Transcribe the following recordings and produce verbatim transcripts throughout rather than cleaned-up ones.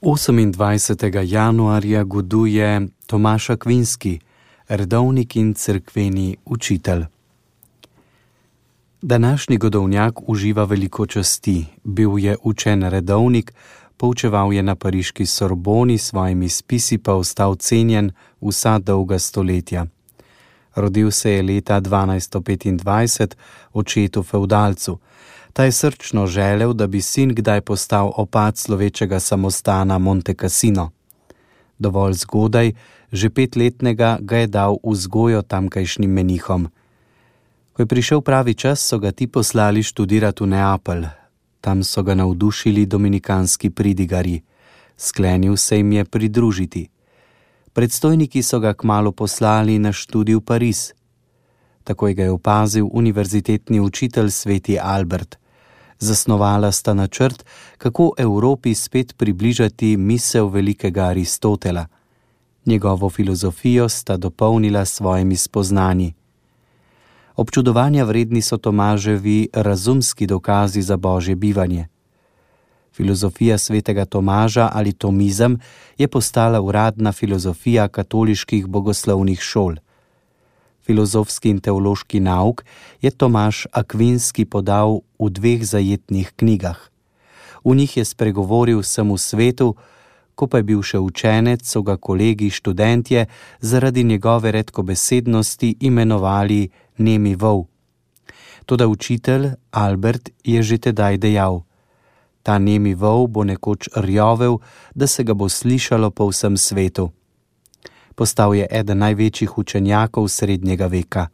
osemindvajsetega januarja goduje Tomaž Akvinski, redovnik in cerkveni učitelj. Današnji godovnjak uživa veliko časti. Bil je učen redovnik, poučeval je na pariški Sorboni, s svojimi spisi pa ostal cenjen vsa dolga stoletja. Rodil se je leta dvanajststo petindvajset očetu fevdalcu. Ta je srčno želel, da bi sin kdaj postal opat slovečega samostana Monte Cassino. Dovolj zgodaj, že petletnega, ga je dal v vzgojo tamkajšnjim menihom. Ko je prišel pravi čas, so ga ti poslali študirati v Neapelj. Tam so ga navdušili dominikanski pridigarji. Sklenil se jim je pridružiti. Predstojniki so ga kmalu poslali na študij v Pariz. Takoj ga je opazil univerzitetni učitelj sveti Albert. Zasnovala sta načrt, kako Evropi spet približati misel velikega Aristotela. Njegovo filozofijo sta dopolnila s svojimi spoznanji. Občudovanja vredni so Tomaževi razumski dokazi za božje bivanje. Filozofija svetega Tomaža ali tomizem je postala uradna filozofija katoliških bogoslovnih šol. Filozofski in teološki nauk je Tomaž Akvinski podal v dveh zajetnih knjigah. V njih je spregovoril vsemu svetu, ko pa je bil še učenec, so ga kolegi študentje zaradi njegove redkobesednosti imenovali nemi vol. Toda učitelj Albert je že tedaj dejal: ta nemi vol bo nekoč rjovel, da se ga bo slišalo po vsem svetu. Postal je eden največjih učenjakov srednjega veka.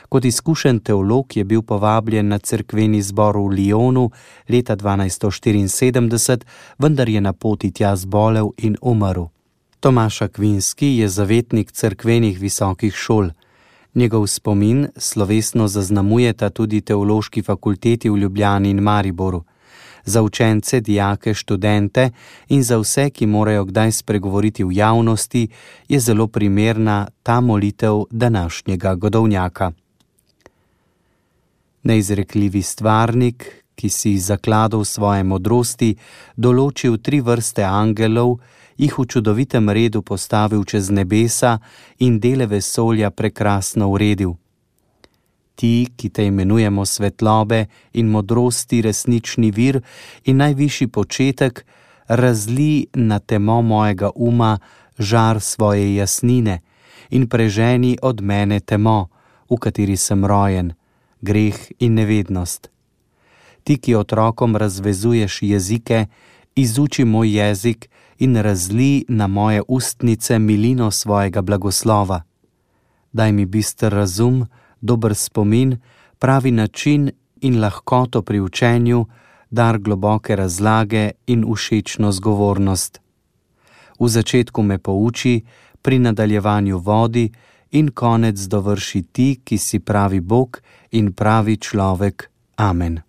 Kot izkušen teolog je bil povabljen na cerkveni zbor v Lyonu leta dvanajststo štiriinsedemdeset, vendar je na poti tja zbolel in umrl. Tomaž Akvinski je zavetnik cerkvenih visokih šol. Njegov spomin slovesno zaznamujeta tudi teološki fakulteti v Ljubljani in Mariboru. Za učence, dijake, študente in za vse, ki morajo kdaj spregovoriti v javnosti, je zelo primerna ta molitev današnjega godovnjaka. Neizrekljivi stvarnik, ki si zakladal svoje modrosti, določil tri vrste angelov, jih v čudovitem redu postavil čez nebesa in dele vesolja prekrasno uredil. Ti, ki te imenujemo svetlobe in modrosti, resnični vir in najvišji početek, razli na temo mojega uma žar svoje jasnine in preženi od mene temo, v kateri sem rojen, greh in nevednost. Ti, ki otrokom razvezuješ jezike, izuči moj jezik in razli na moje ustnice milino svojega blagoslova. Daj mi bister razum, dober spomin, pravi način in lahkoto pri učenju, dar globoke razlage in všečno zgovornost. V začetku me pouči, pri nadaljevanju vodi in konec dovrši ti, ki si pravi Bog in pravi človek. Amen.